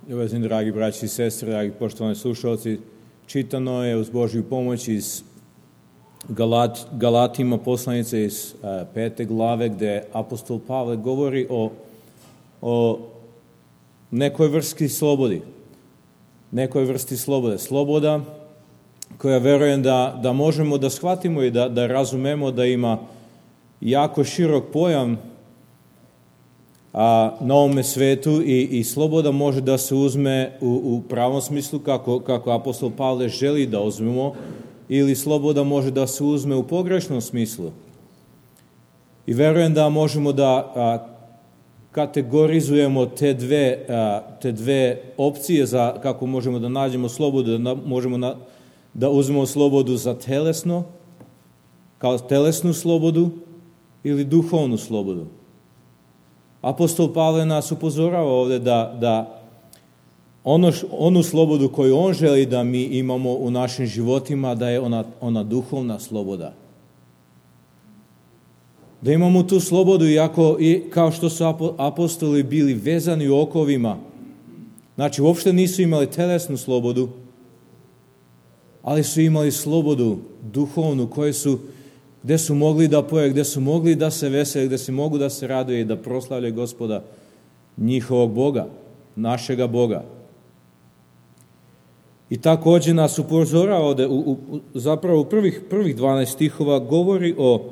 Uvaženi dragi braći i sestre, dragi poštovani slušalci, čitano je uz Božju pomoć iz Galatima poslanice iz 5. glave, gdje apostol Pavle govori o nekoj vrsti slobodi. Nekoj vrsti slobode. Sloboda koja verujem da možemo da shvatimo i da razumemo da ima jako širok pojam na ovome svetu i sloboda može da se uzme u pravom smislu kako apostol Pavle želi da uzmemo, ili sloboda može da se uzme u pogrešnom smislu. I verujem da možemo da kategorizujemo te dve opcije za kako možemo da nađemo slobodu, da možemo da uzmemo slobodu za telesno, kao telesnu slobodu ili duhovnu slobodu. Apostol Pavle nas upozorava ovdje da onu slobodu koju on želi da mi imamo u našim životima, da je ona duhovna sloboda. Da imamo tu slobodu i kao što su apostoli bili vezani u okovima, znači uopšte nisu imali telesnu slobodu, ali su imali slobodu duhovnu gdje su mogli da poje, gdje su mogli da se veseli, gdje se mogu da se raduje i da proslavljaju Gospoda, njihovog Boga, našega Boga. I također nas upozorava ovdje, zapravo u prvih 12 stihova govori o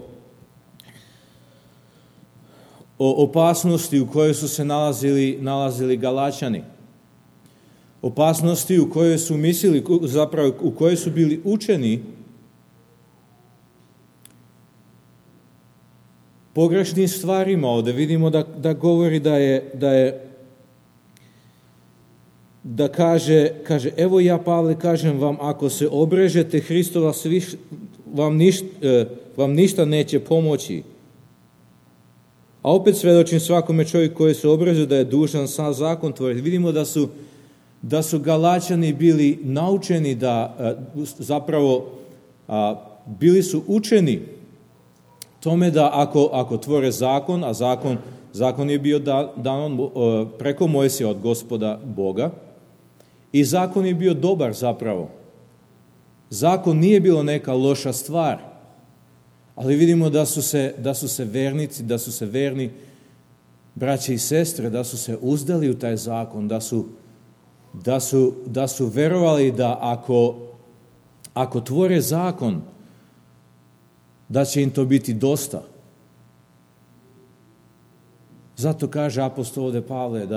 opasnosti u kojoj su se nalazili Galačani. Opasnosti u kojoj su mislili, zapravo u kojoj su bili učeni pogrešnim stvarima. Ovdje vidimo da govori da kaže, evo ja, Pavle, kažem vam, ako se obrežete Hristova, vam ništa neće pomoći. A opet svedočim svakome čovjeku koji se obreže da je dužan sam zakon tvoriti. Vidimo da su Galačani bili naučeni bili su učeni tome da ako tvore zakon, a zakon je bio dan preko Mojsija od Gospoda Boga, i zakon je bio dobar zapravo. Zakon nije bilo neka loša stvar, ali vidimo da su se vernici, da su se verni braće i sestre, da su se uzdali u taj zakon, da su verovali da ako tvore zakon, da će im to biti dosta. Zato kaže apostol ovdje Pavle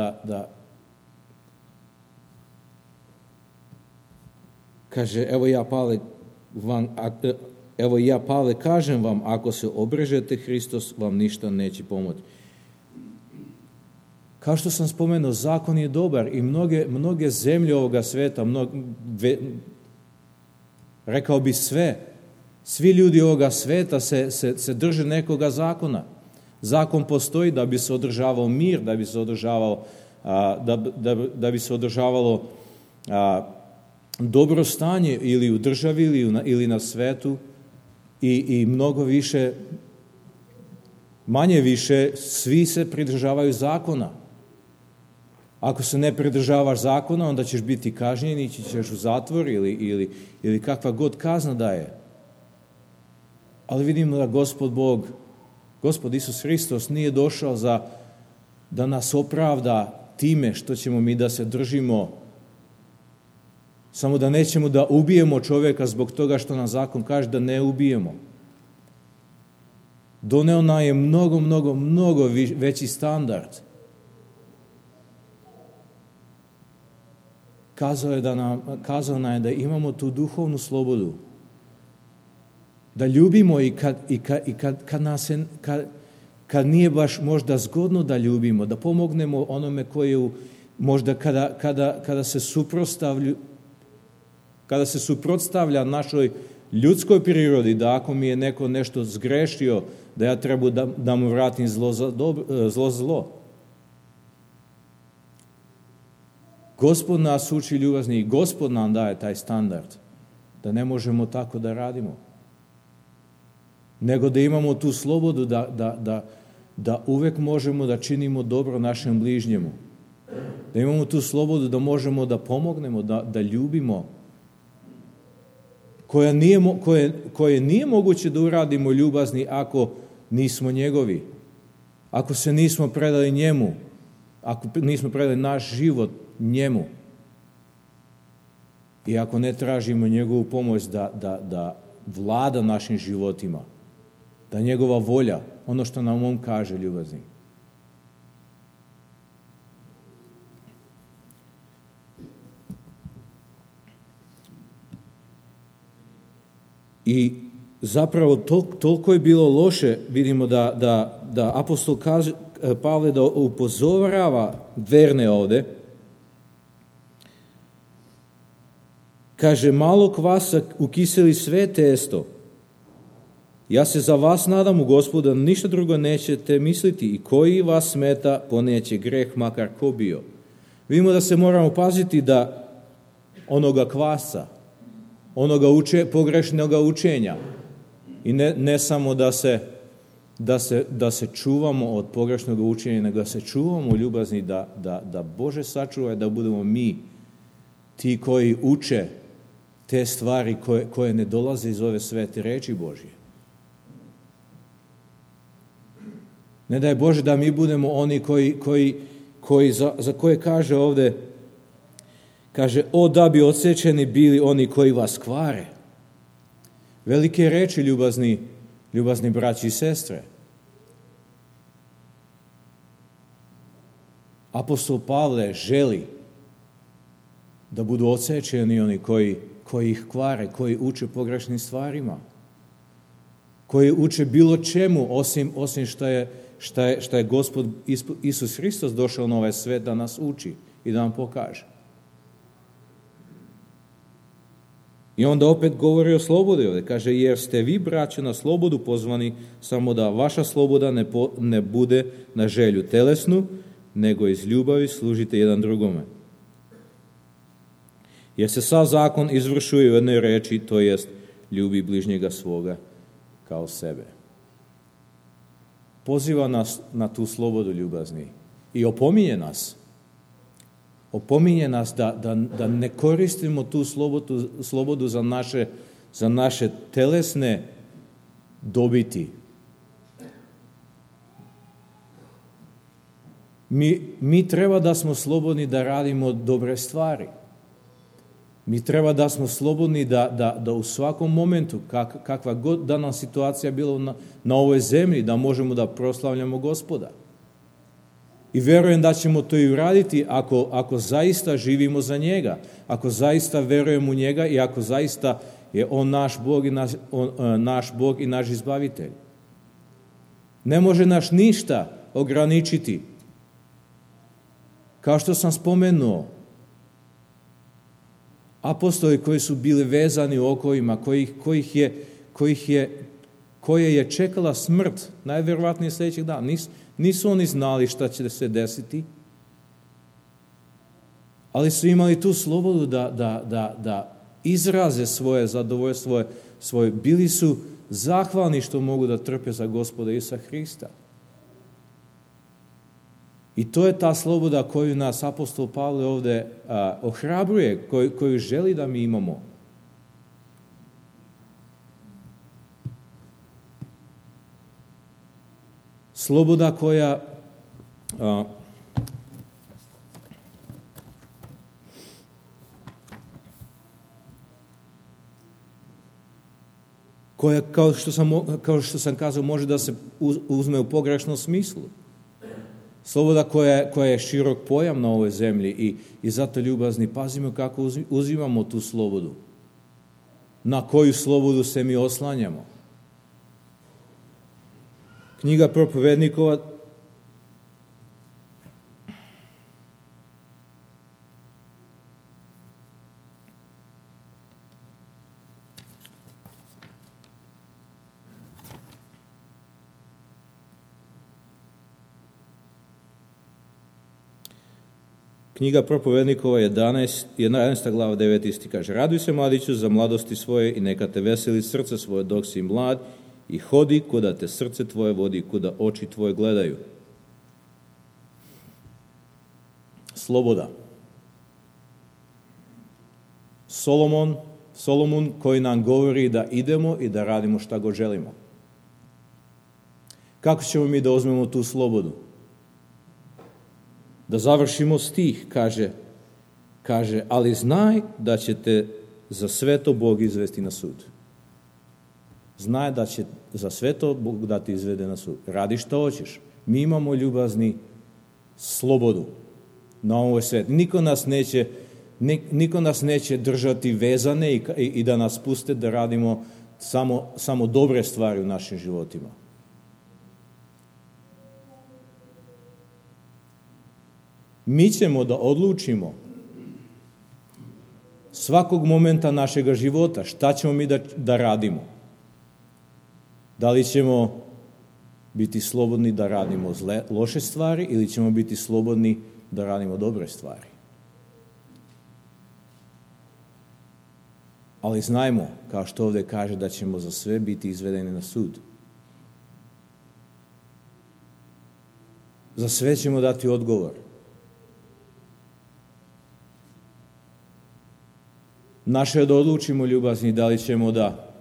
kaže, evo ja Pavle kažem vam, ako se obrežete Hristos, vam ništa neće pomoći. Kao što sam spomenuo, zakon je dobar i mnoge zemlje ovoga sveta, rekao bi svi ljudi ovoga sveta se drže nekoga zakona. Zakon postoji da bi se održavao mir, da bi se održavalo dobro stanje ili u državi ili na svetu i mnogo više, manje više, svi se pridržavaju zakona. Ako se ne pridržavaš zakona, onda ćeš biti kažnjen, ići ćeš u zatvor ili kakva god kazna da je. Ali vidimo da Gospod Isus Hristos nije došao da nas opravda time što ćemo mi da se držimo, samo da nećemo da ubijemo čovjeka zbog toga što nam zakon kaže da ne ubijemo. Doneo nam je mnogo veći standard. Kazao nam je da imamo tu duhovnu slobodu. Da ljubimo i kad nije baš možda zgodno da ljubimo, da pomognemo onome koji možda kada se suprotstavlja našoj ljudskoj prirodi, da ako mi je neko nešto zgrešio, da ja treba da mu vratim zlo za zlo. Gospod nas uči ljubazni i Gospod nam daje taj standard, da ne možemo tako da radimo. Nego da imamo tu slobodu da uvek možemo da činimo dobro našem bližnjemu. Da imamo tu slobodu da možemo da pomognemo, da ljubimo. Koje nije moguće da uradimo ljubazni ako nismo njegovi. Ako se nismo predali njemu. Ako nismo predali naš život njemu. I ako ne tražimo njegovu pomoć da vlada našim životima. Da njegova volja, ono što nam on kaže, ljubazni. I zapravo toliko je bilo loše, vidimo da apostol Pavle da upozorava verne ovde. Kaže, malo kvasa ukiseli sve testo. Ja se za vas nadam u Gospodu da ništa drugo nećete misliti i koji vas smeta poneće greh makar ko bio. Vidimo da se moramo paziti da onoga kvasa, onoga pogrešnoga učenja i ne samo da se čuvamo od pogrešnog učenja, nego da se čuvamo ljubazni, da Bože sačuvaj da budemo mi ti koji uče te stvari koje ne dolaze iz ove svete reči Božje. Ne daj Bože da mi budemo oni koji za koje kaže ovde, kaže, o da bi odsečeni bili oni koji vas kvare. Velike reči, ljubazni braći i sestre. Apostol Pavle želi da budu odsečeni oni koji ih kvare, koji uče pogrešnim stvarima, koji uče bilo čemu osim šta je Gospod Isus Hristos došao na ovaj svet da nas uči i da nam pokaže. I onda opet govori o slobodi ovdje. Kaže, jer ste vi, braćo, na slobodu pozvani, samo da vaša sloboda ne bude na želju telesnu, nego iz ljubavi služite jedan drugome. Jer se sav zakon izvršuje u jednoj reči, to jest ljubi bližnjega svoga kao sebe. Poziva nas na tu slobodu ljubazni i opominje nas. Opominje nas da ne koristimo tu slobodu za naše telesne dobiti. Mi treba da smo slobodni da radimo dobre stvari. Mi treba da smo slobodni da u svakom momentu, kakva god da nam situacija bila na ovoj zemlji, da možemo da proslavljamo Gospoda. I verujem da ćemo to i uraditi ako zaista živimo za njega, ako zaista verujemo u njega i ako zaista je on naš Bog i naš izbavitelj. Ne može nas ništa ograničiti. Kao što sam spomenuo, apostoli koji su bili vezani u okovima, koje je čekala smrt, najvjerovatnije sljedećeg dana. Nisu oni znali šta će se desiti, ali su imali tu slobodu da izraze svoje zadovoljstvo, svoje. Bili su zahvalni što mogu da trpe za Gospoda Isusa Hrista. I to je ta sloboda koju nas apostol Pavle ovdje ohrabruje, koju želi da mi imamo. Sloboda koja kao što sam kazao, može da se uzme u pogrešnom smislu. Sloboda koja je širok pojam na ovoj zemlji i zato ljubazni pazimo kako uzimamo tu slobodu. Na koju slobodu se mi oslanjamo. Knjiga Propovednikova Knjiga Propovednikova 11. glava 9. stih kaže: Raduj se, mladiću, za mladosti svoje i neka te veseli srce svoje dok si mlad i hodi kuda te srce tvoje vodi, kuda oči tvoje gledaju. sloboda. Solomon koji nam govori da idemo i da radimo šta god želimo. Kako ćemo mi da uzmemo tu slobodu? Da završimo stih, kaže, ali znaj da će te za sve to Bog izvesti na sud. Znaj da će za sve to Bog da ti izvede na sud. Radi šta hoćeš. Mi imamo, ljubazni, slobodu na ovoj svijetu. Niko nas neće držati vezane i da nas puste da radimo samo dobre stvari u našim životima. Mi ćemo da odlučimo svakog momenta našega života šta ćemo mi da radimo. Da li ćemo biti slobodni da radimo loše stvari ili ćemo biti slobodni da radimo dobre stvari. Ali znajmo, kao što ovdje kaže, da ćemo za sve biti izvedeni na sud. Za sve ćemo dati odgovor. Naše je da odlučimo, ljubazni, da li ćemo da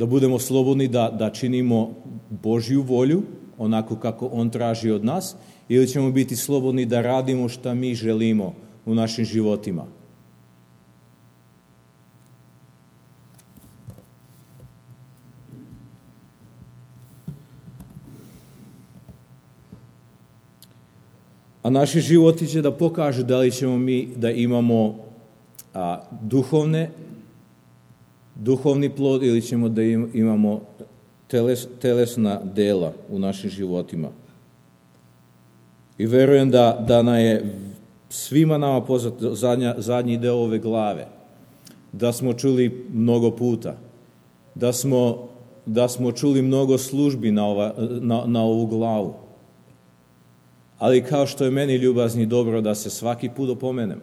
budemo slobodni da činimo Božju volju, onako kako On traži od nas, ili ćemo biti slobodni da radimo šta mi želimo u našim životima. A naši životi će da pokažu da li ćemo mi da imamo duhovni plod ili ćemo da imamo telesna dela u našim životima. I verujem da nam je svima nama poznat zadnji deo ove glave, da smo čuli mnogo puta, da smo čuli mnogo službi na ovu glavu. Ali kao što je meni, ljubazni, dobro da se svaki put opomenem,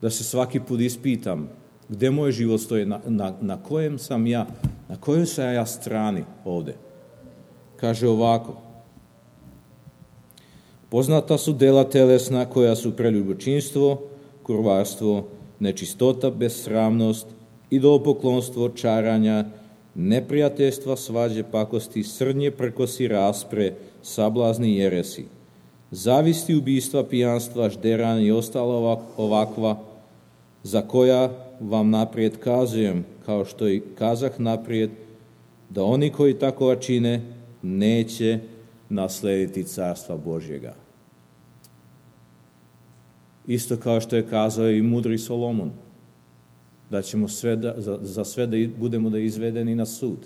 da se svaki put ispitam gde moj život stoji, na kojoj sam ja strani ovde. Kaže ovako: poznata su dela telesna koja su preljubočinstvo, kurvarstvo, nečistota, besramnost, idolopoklonstvo, čaranja, neprijateljstva, svađe, pakosti, srdnje, prkosi, raspre, sablazni, jeresi, zavisti, ubistva, pijanstva, žderanja i ostala ovakva, za koja vam naprijed kazujem, kao što i kazah naprijed, da oni koji takova čine neće naslediti carstva Božjega. Isto kao što je kazao i mudri Solomon, da ćemo za sve da budemo da izvedeni na sud.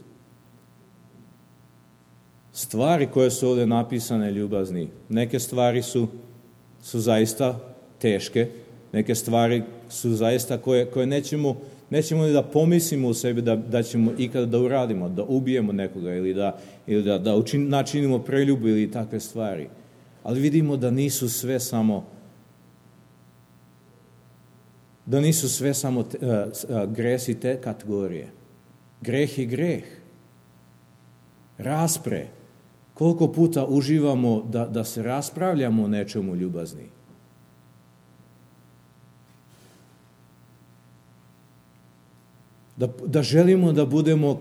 Stvari koje su ovdje napisane, ljubazni, neke stvari su zaista teške, neke stvari su zaista koje nećemo ni da pomislimo u sebi da ćemo ikada da uradimo, da ubijemo nekoga ili da načinimo preljubu ili takve stvari. Ali vidimo da nisu sve samo gresi te kategorije. Greh je greh. Raspre. Koliko puta uživamo da se raspravljamo o nečemu, ljubazni. Da želimo da budemo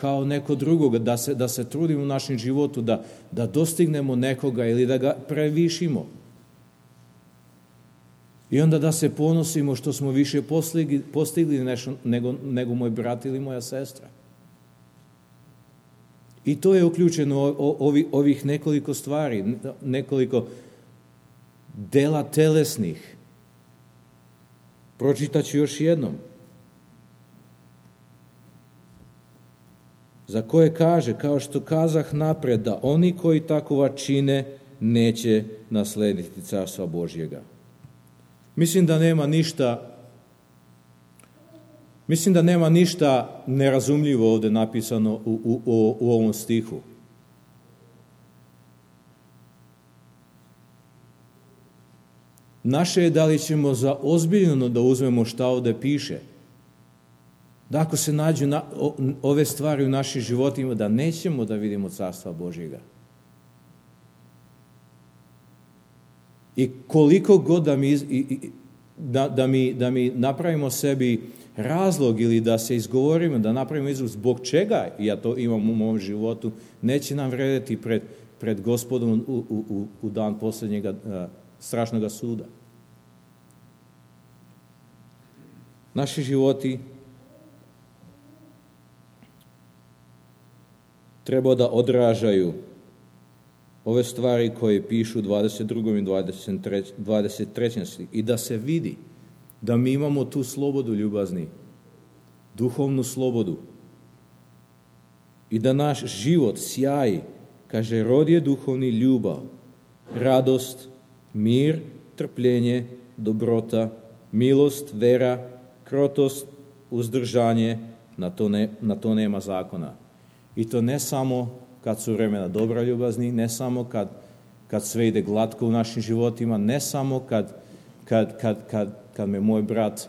kao neko drugog, da se trudimo u našem životu, da dostignemo nekoga ili da ga previšimo. I onda da se ponosimo što smo više postigli nešto nego moj brat ili moja sestra. I to je uključeno ovih nekoliko stvari, nekoliko dela telesnih. Pročitat ću još jednom. Za koje kaže, kao što kazah napred, da oni koji takova čine neće naslediti carstva Božjega. Mislim da nema ništa nerazumljivo ovdje napisano u ovom stihu. Naše je da li ćemo za ozbiljno da uzmemo šta ovdje piše. Da ako se nađu ove stvari u našim životima, da nećemo da vidimo carstva Božjega. I koliko god da mi napravimo sebi razlog ili da se izgovorimo, da napravimo izraz zbog čega ja to imam u mom životu, neće nam vrediti pred Gospodom u dan posljednjega strašnog suda. Naši životi treba da odražaju ove stvari koje pišu u 22. i 23. i da se vidi da mi imamo tu slobodu ljubazni, duhovnu slobodu i da naš život sjaji, kaže, rod je duhovni ljubav, radost, mir, trpljenje, dobrota, milost, vera, krotost, uzdržanje, na to nema zakona. I to ne samo kad su vremena dobra ljubazni, ne samo kad sve ide glatko u našim životima, ne samo kad me moj brat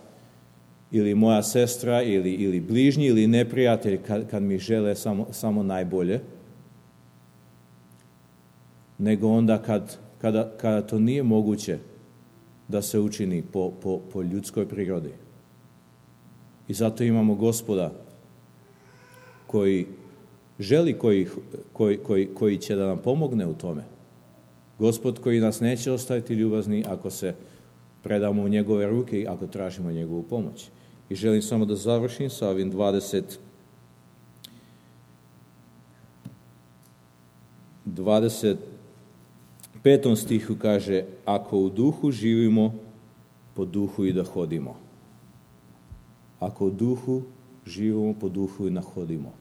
ili moja sestra ili bližnji ili neprijatelj kad mi žele samo najbolje, nego onda kada to nije moguće da se učini po ljudskoj prirodi. I zato imamo Gospoda koji želi, koji će da nam pomogne u tome. Gospod koji nas neće ostaviti ljubazni ako se predamo u njegove ruke i ako tražimo njegovu pomoć. I želim samo da završim sa ovim 25. stihu kaže, ako u duhu živimo, po duhu i da hodimo. Ako u duhu živimo, po duhu i da hodimo.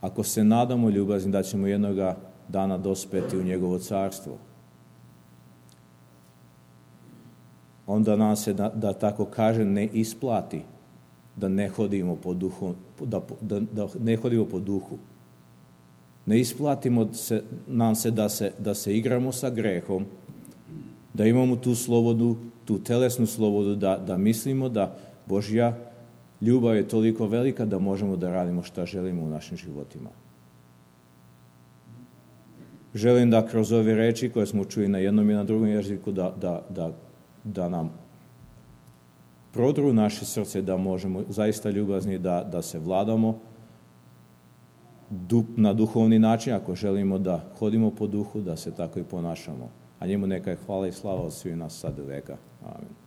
Ako se nadamo ljubazni da ćemo jednoga dana dospeti u njegovo carstvo, onda nam se, da tako kaže, ne isplati da ne hodimo po duhu, da ne hodimo po duhu. Ne isplatimo nam se da se igramo sa grehom, da imamo tu slobodu, tu telesnu slobodu, da mislimo da Božja ljubav je toliko velika da možemo da radimo šta želimo u našim životima. Želim da kroz ove reči koje smo čuli na jednom i na drugom jeziku da nam prodru naše srce, da možemo zaista ljubazni da se vladamo na duhovni način, ako želimo da hodimo po duhu, da se tako i ponašamo. A njemu neka je hvala i slava od svih nas sad do veka. Amen.